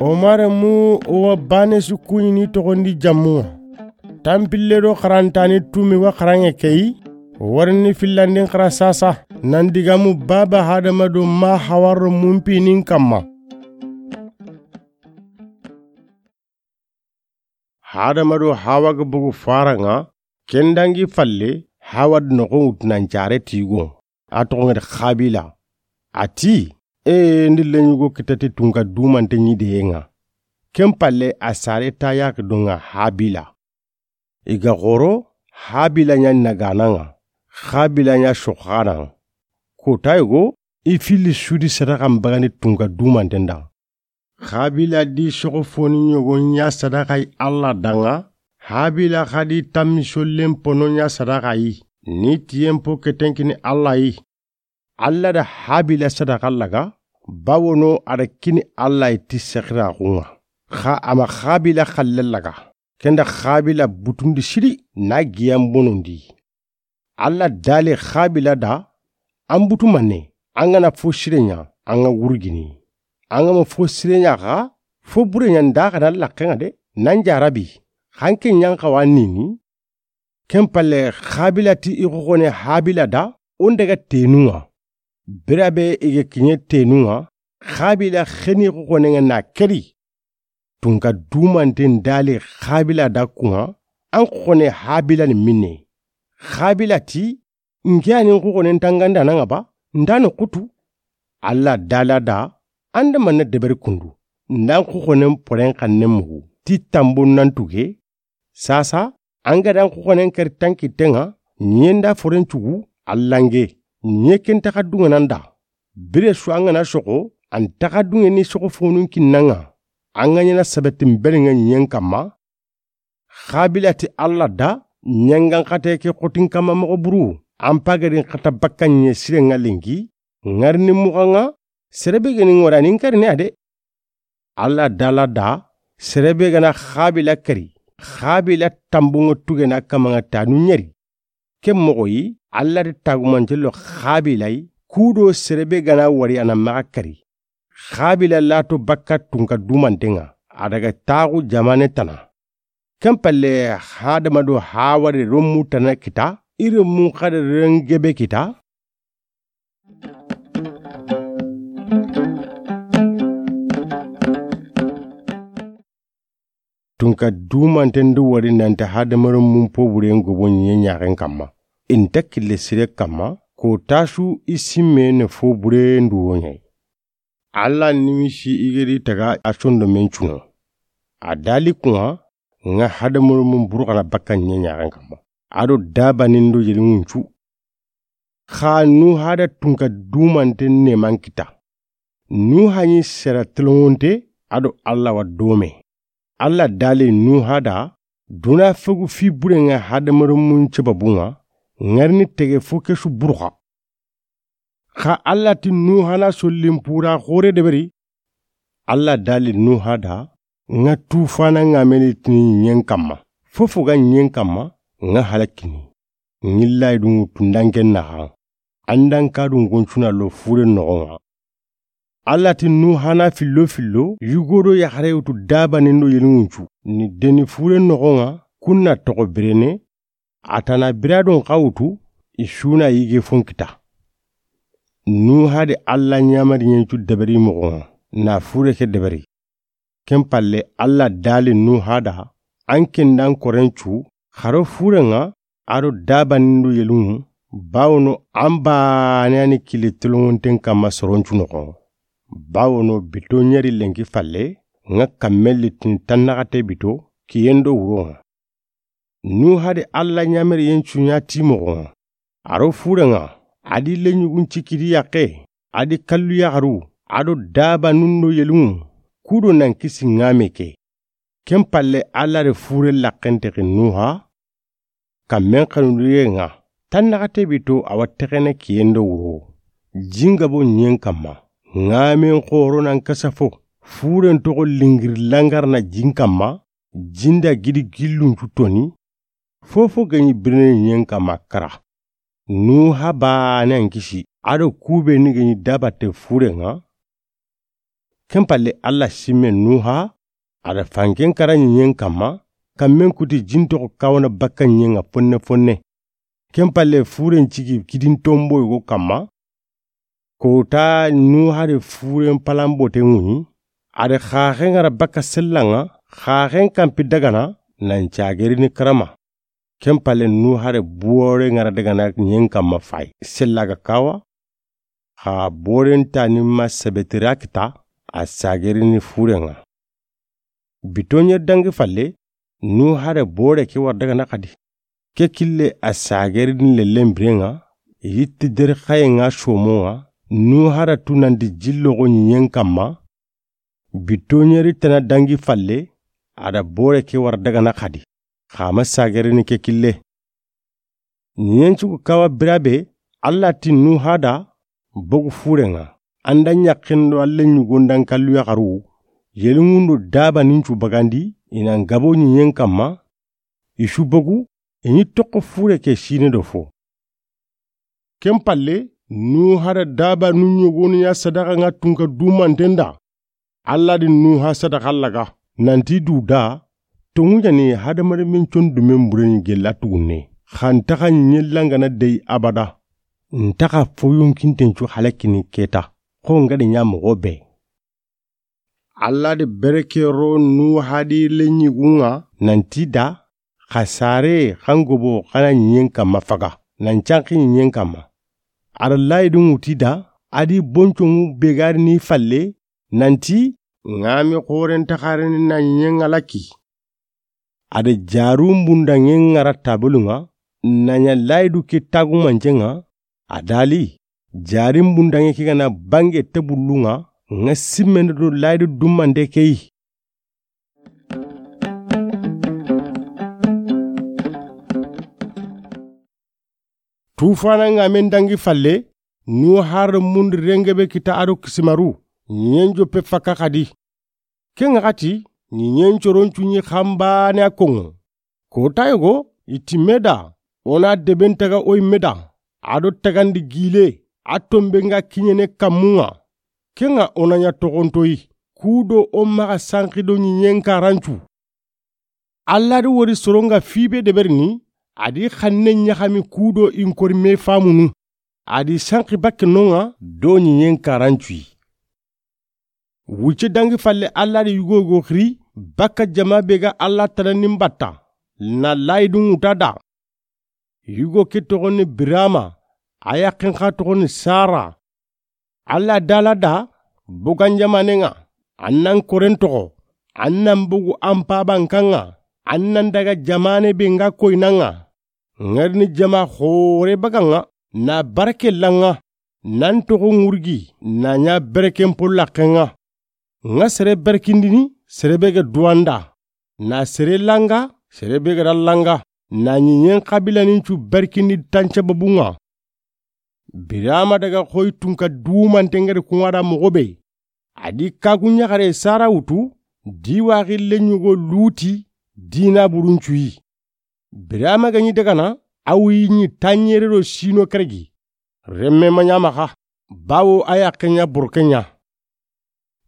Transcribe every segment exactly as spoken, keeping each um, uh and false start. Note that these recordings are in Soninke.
Omar mu o wa bane su kuɲini toxondi jammu ŋa. Tanpille do xarantani tumi wa xaranŋe keyi. Warini fillandin xara sasa nan digamu baba Hadama do ma Hawa ro mumpinin kamma. Hadama do Hawa ga bogu faranŋa, kendangi falle Hawa di noxon wutu nan care tigo. A toxon ŋa di Xabila. A ti, e, ndi leɲugo kitati tunka dumante ɲi deyenŋa. Ken palle a sare ta yaki donŋa Habila. I ga xoro, Habila ɲa nagananŋa, Xabila ɲa soxananŋa. Kota yogo, i fili sudi sadaxan bagani tunka dumanten da. Xabila di soxo foni ɲogo ɲa sadaxa yi Alla danŋa, Habila xa di tammi sollen pono ɲa sadaxa yi, ni tiyen po ketenkini Alla yi. Alla da Habila sadaxa laga, bawono a da kini Alla yi ti sexiraxunŋa. Xa a ma Xabila xalle laga, kenda Xabila butundi siri na giyan bonondi. Alla dali Xabila da, an butu manne, an ga na fo sire ɲa, an ga wurgini. An ga ma fo sire ɲa xa, fo bure ɲa nda xa na laxenŋa de, nan jarabi, xanke ɲan xa wa nini. Ken palle Xabila ti i xoxone Habila da, o n daga tenunŋa. Birabe i ga kiɲe tenunŋa, Xabila xeni xoxonenŋa na keri. Tunka dumanten dali Xabila da kunŋa, an xoxone Habila ni minne. Xabila ti, nke ani xoxonen tangandananŋa ba, nda no kutu. Alla dala da, an da manne deberi kundu, ndan xoxonen poren xannen mugu, ti tambon nan tuge, sasa, an ga dan xoxonen keri tankitenŋa, ɲen da foren cugu, Allange, ɲe ken taxa dunŋanan da. Bire su an ga na soxo, an taxa dunŋe ni soxo fonun kinnanŋa. An ga ɲana sabetin berenŋa ɲen kamma. Xabila ti Alla da, ɲangan xate ke xotin kamma moxo buru, an pagadin xata bakka ɲe sirenŋa lenki, ŋarini muxanŋa, serebe geni ŋorani ŋarini a de. Alla dala da, serebe gana Xabila keri, Xabila tambunŋa tugena kamanŋa tanu ɲeri. Ken moxo yi, Alla di tagumante lo Xabila yi, kudo serebe gana wari a na maxa keri. Xabila lato bakka tunka dumantenŋa, a daga taxu jamane tana. Ken palle Hadama do Hawa de ro mu tana kita, i ro mu xa de rengebe kita. Tunka dumanten do wari nanti Hadama ro mun po buren gobo ɲe ɲaxen kamma. I nta kille sire kamma, ko tasu i simme ne fo bure nduwo ɲa yi. Alla nimisi i ga ri taga a sondomen cuno. A dali kunŋa, ŋa Hadama ro mun buru xa na bakka ɲe ɲaxen kamma. A do dabanin do yeli ŋuncu. Xa Nuha da tunka dumanten ne man kita. Nuha ɲi sera telongonte, a do Alla wa dome. Alla dali Nuha da, duna fegu fi burenŋa Hadama ro mun cebabunŋa, ŋarini tege fo kesu buruxa. Xa Alla ti Nuha na sollin pura xore deberi. Alla dali Nuha da, ŋa tufana ŋa meni tini ɲen kamma. Fofo ga ɲen kamma, ŋa halakini. Ŋillayi dunŋu tundanken naxa. Andan kadun goncuna lo fure noxonŋa. Alla ti Nuha na fillo fillo, yugo do yaxare wutu dabanin do yeli ŋuncu. Ni deni fure noxonŋa, kunna toxo birene, a tana biradon xa wutu, i suna yige fon kita. Nuha de Alla ɲamari ɲencu deberi moxonŋa, na fure ke deberi. Ken palle Alla dali Nuha da, an kendan korencu, xaro furenŋa, a do dabanin do yeli ŋu, bawono an bane ani kille telongonten kamma soroncu noxo. Bawono bito ɲeri lenki falle, ŋa kammelli tini tannaxate bito, kiyen do wuronŋa. Nuha de Alla ɲamari yen cuɲa ti moxonŋa. A ro furenŋa, a di leɲugun cikidi yaqe, a di kallu yaxaru, a do dabanun do yeli ŋu, kudo nan kisi ŋame ke. Ken palle Alla de fure laxentexi Nuha, kammen xanudiyenŋa, tannaxate bito a wa texene kiyen do wuro. Jingabo ɲen kamma, ŋamen xoro nan kasa fo, furen toxo lingiri langarna jin kamma, jinda gidi gillun cu toni, fofo gaɲi birene ɲen kamma kara. Nuha bane an kisi, a do ku be ni ga ɲi dabate furen ŋa. Ken palle, Alla simme Nuha, a da fanken kara ɲiɲen kanma, kanmen kuti jin toxo kawana bakka ɲiɲen ŋa fonne fonne. Ken palle, furen cigi kidin tombo yogo kanma. Kota Nuha de furen palambote ŋuɲi, a da xaxen ŋara bakka sellan ŋa, xaxen kanpi dagana, nan cagerini karama. Ken palle, Nuha de bore ŋara dagana ɲiɲen kanma fay, sella ga kawa, xa boren tani ma sebetira kita, a sagerini furen ŋa. Bitoɲe dangi falle, Nuha de bore ke wara dagana xadi. Ke kille a sagerini lellen biren ŋa, yitti deri xayen ŋa somon ŋa, Nuha da tunandi jilloxo ɲiɲen kanma. Bitoɲeri tana dangi falle, a da bore ke wara dagana xadi, xa ma sagerini ke kille. Ɲiɲen cugu kawa birabe, Alla ti Nuha da, bogu furen ŋa, an da ɲaxen do alle ɲugon dan kallu yaxaru, yelinŋun do daba nin cu bagandi, i nan gabo ɲiɲen kanma, i su bogu, i ɲi toxo fure ke sine do fo. Ken palle, Nuha da daba nu ɲogonu ya sadaxa ŋa tunka dumanten da. Alla di Nuha sadaxa laga, nanti du da, tonŋu ɲani hadamaren men condumen bureni gella tugunne, xa ntaxa ɲellangana dey abada. Ntaxa foyonkinten cu halakini keta, xo nga di ɲa moxo be. Alla de bereke ro Nuha di leɲigun ŋa, nanti da, xa sare, xa n gobo, xa na ɲiɲen kanma faga, nan canxi ɲiɲen kanma. A da layidun ŋuti da, a di bonconŋu be ga ri ni falle, nanti, ŋa mi xoren taxarini na ɲiɲen ŋa laki. A da jarun bundanŋen ŋara tabelun ŋa, na ɲa layidu ke tagumancen ŋa, a dali, jarin bundanŋe ke ga na bange tebullun ŋa, ŋa simmende do layidu dumande ke yi. Tufana ŋa men dangi falle, Nuha da mundi rengebe kita a do kisimaru, ɲiɲen joppe fakka xadi. Ken ŋa xati, ɲiɲen coron cu ɲi xanbane a konŋo. Kota yogo, i ti me da, o na deben taga o yi me da, a do tagandi gile, a tonbe ŋa kiɲene kanmun ŋa. Ken ŋa o na ɲa toxontoyi, ku do o maxa sanxi do ɲiɲen karancu. Alla di wori soron ŋa fibe deberini, a di xanne ɲaxami ku do i n kori me famunu, a di sanxi bakke non ŋa do ɲiɲen karancuyi. Wucce dangi falle, Alla di yugo yogo xiri bakka jama be ga Alla tanandin batta, na layidun ŋuta da. Yugo ke toxoni Birama, a yaxen xa toxoni Sara. Alla dala da, bogan jamanen ŋa, an nan koren toxo, an nan bogu an paban kan ŋa, an nan daga jamane be nga koynan ŋa. Ŋa ri ni jama xore bagan ŋa, na barake lan ŋa, nan toxo ŋurgi, na ɲa bereken pollaxen ŋa. Ŋa sere berkindini, sere be ga duwanda, na sere langa, sere be ga da langa, na ɲiɲen xabilanin cu berkindi tanca babun ŋa. Birama daga xoyi tunka dumanten ŋa di kun ŋa da moxo be. A di kagu ɲaxare Sara wutu, di waxi leɲugo Luti, dina buruncuyi. Birama ga ɲi dagana, a wuyi ɲi tanɲere do sino keregi. Remme ma ɲa maxa, bawo a yaxen ɲa borken ɲa.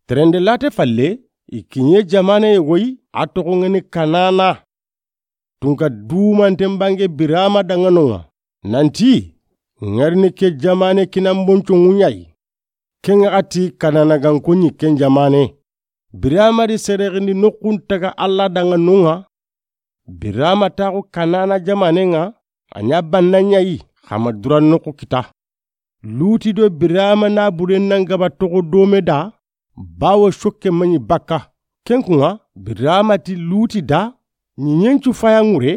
Terende late falle, i kiɲe jamane yogoyi, a toxo ŋa ni Kanana. Tunka dumanten bange Birama danŋa non ŋa, nanti, ŋa ri ni ke jamane kinan bonconŋu ɲa yi. Ken ŋa xati Kanana ganko ɲi ken jamane. Birama di serexindi noxun taga Alla danŋa non ŋa. Birama taxu Kanana jamanen ŋa, a ɲa banna ɲa yi, xa ma dura noxu kita. Luti do Birama na buren nan gaba toxo dome da, bawo sokke ma ɲi bakka. Ken kun ŋa, Birama ti Luti da, ɲiɲen cu faya ŋure,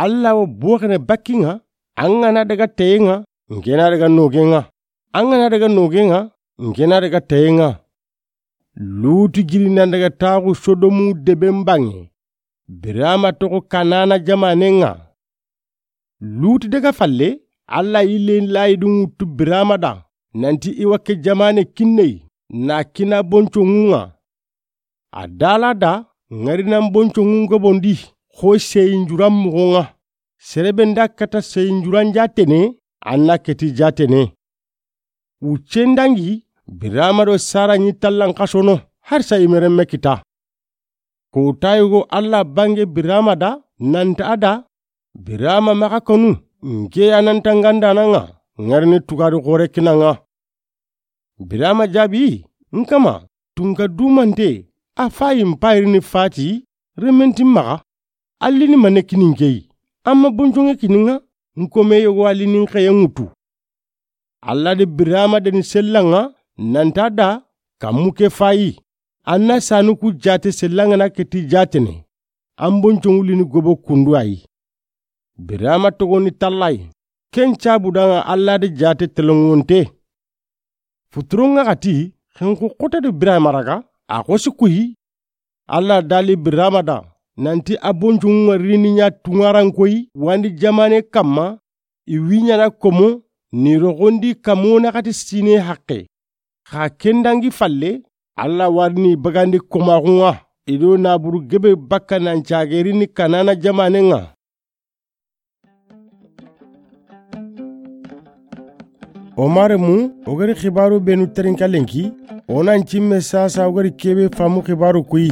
Alla wo boxene bakki ŋa, an ga na daga teye ŋa, n ke na daga noge ŋa. An ga na daga noge ŋa, n ke na daga teye ŋa. Luti giri nan daga taxu Sodomu deben bange. Birama toxo Kanana jamanen ŋa. Luti daga falle, Alla yille layidun wutu Birama da, nanti i wa ke jamane kinne yi, na kina bonconŋun ŋa. A dala da, ŋa ri nan bonconŋun gobondi, xo seyinjuran moxon ŋa. Sere be nda kata seyinjuran jatene, an na keti jatene. Wuccen dangi, Birama do Sara ɲi tallan xasono, har sa i merenme kita. Ko ta yugo Alla bange Birama da, nanta a da, Birama maxa kanu, nke ya nanta ngandana ŋa, ŋarini tugari xore kina ŋa. Birama jaabi, n kama, tunka dumante, a fayi n payirini fati, rementin maxa, allini mane kini nke yi, amma bonjonge kini ŋa, n kome yogo allini n xeye ŋutu. Alla de Birama deni sellan ŋa, nanta da, kammu ke fayi, anna sanu ku jate sellan ŋa na keti jatene, an bonjongu lini gobo kundu ayi. Birama togoni tallayi, ken cabu da ŋa Alla de jate telongonte. Futuron ŋa xati, xenxu xotadu Birama raga, a xosi kuyi. Alla dali Birama da, nanti a bonjongu ŋa rini ɲa tunŋaran koyi, wandi jamane kamma, i wi ɲana komo, ni roxondi kamo naxati sine haqqe. Xa ken dangi falle, Alla warini bagandi komaxun ŋa, i do naburu gebe bakka nan cagerini Kanana jamanen ŋa. O maremu, o gari xibaru benu terinka lenki, o nan cimme sasa o gari kebe famu xibaru kuyi.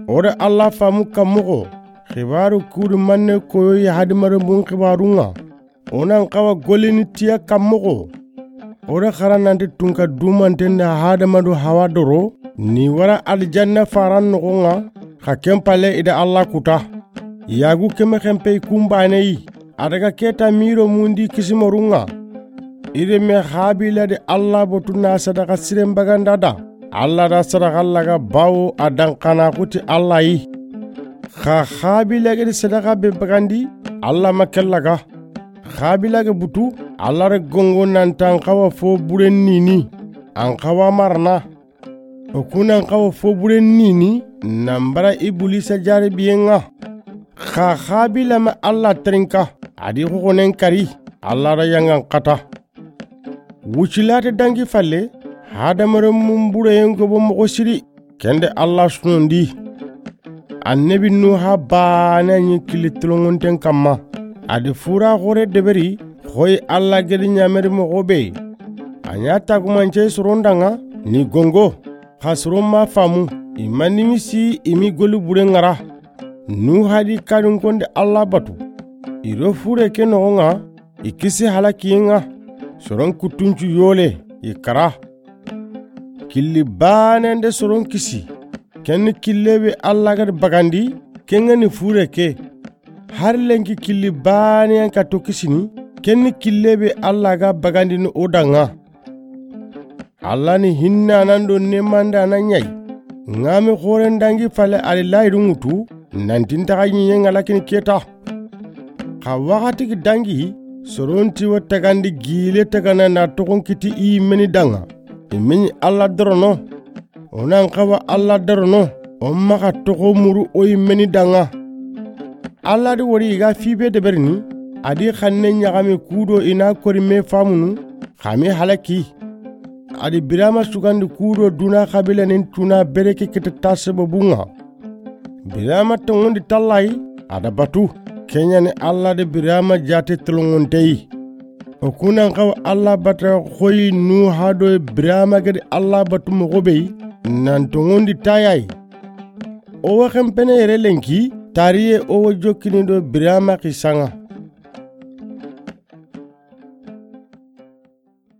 O da Alla famu kammoxo, xibaru kudu manne koyo ya hadamarenmun xibarun ŋa. O nan xawa golini tiya kammoxo. O da xara nanti tunka dumanten da Hadama do Hawa doro, ni wara aljanna faran noxon ŋa, xa ken palle i da Alla kuta. Yagu keme xenpe i kunbaneyi, a daga keta miro mundi kisimorun ŋa. I reme Habila de Alla botu na sadaxa siren baganda da. Alla da sadaxa laga bawo a dan xana xuti Alla yi. Xa Habila gedi sadaxa be bagandi, Alla ma ken laga. Habila ge butu, Alla re gongo nantan xawa fo buren nini, an xawa marana. O kunan xawa fo buren nini, nan bara Ibulisa jarabiyen ŋa. Xa Habila ma Alla terinka, a di xoxonen kari, Alla da yangan xata. Wucilate dangi falle, hadamarenmun bureyen gobo moxo siri, kende Alla sunondi. Annabi Nuha bane ɲi kili tolongonten kamma. A di fura xore deberi, xoyi Alla gedi ɲameri moxo be. A ɲa tagumance soron da ŋa, ni gongo. Xa soron ma famu, i ma nimisi i mi goli buren ŋara. Nuha di kadin konde Alla batu. I do fure ke noxon ŋa, i kisi halakiyen ŋa. Soron kuttuncu yole, i kara. Killi banen de soron kisi. Ken ni kille be Alla gadi bagandi, ken ŋa ni fure ke. Har lenki killi baneyan kato kisini, ken ni kille be Alla ga bagandini o da ŋa. Alla ni hinnanan do nemandanan ɲa yi. Ŋa me xoren dangi falle a di layidu ŋutu, nanti n taxa ɲiɲen ŋa lakini keta. Xa waxati gi dangi, soron ti wa tagandi gile tagana na toxon kiti i yimmeni da ŋa. I me ɲi Alla dorono. O nan xawa Alla dorono, o maxa toxo muru o yimmeni da ŋa. Alla di wori i ga fibe deberini, a di xanne ɲaxami kudo i na kori me famunu, xa me halaki. A di Birama sugandi kudo duna xabilanin tuna bereke kete ta sababun ŋa. Birama tongondi tallayi, a da batu, ken ɲa ni Alla de Birama jate tolongonteyi. O kunan xawa Alla bata xoyi Nuha do Birama gedi Alla batu moxo be yi, nan tongondi tayayi. O wa xenpene yere lenki, tariye o wa jokkini do Birama xisan ŋa.